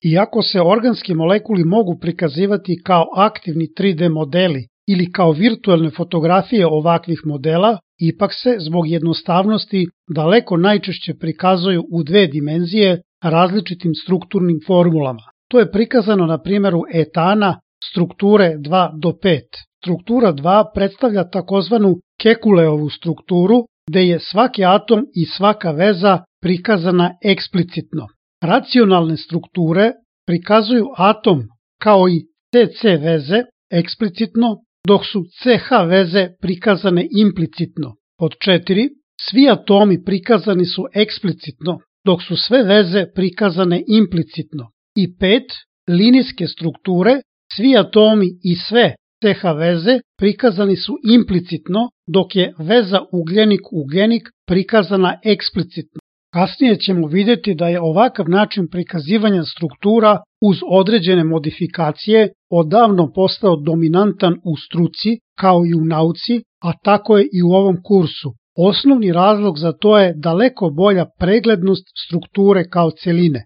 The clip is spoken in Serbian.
Iako se organski molekuli mogu prikazivati kao aktivni 3D modeli ili kao virtualne fotografije ovakvih modela, ipak se zbog jednostavnosti daleko najčešće prikazuju u dve dimenzije različitim strukturnim formulama. To je prikazano na primjeru etana strukture 2 do 5. Struktura 2 predstavlja takozvanu Kekuleovu strukturu, gde je svaki atom i svaka veza prikazana eksplicitno. Racionalne strukture prikazuju atom kao i CC veze eksplicitno, dok su CH veze prikazane implicitno. Pod 4. Svi atomi prikazani su eksplicitno, dok su sve veze prikazane implicitno. I 5. Linijske strukture, svi atomi i sve CH veze prikazani su implicitno, dok je veza ugljenik-ugljenik prikazana eksplicitno. Kasnije ćemo vidjeti da je ovakav način prikazivanja struktura uz određene modifikacije odavno postao dominantan u struci kao i u nauci, a tako je i u ovom kursu. Osnovni razlog za to je daleko bolja preglednost strukture kao celine.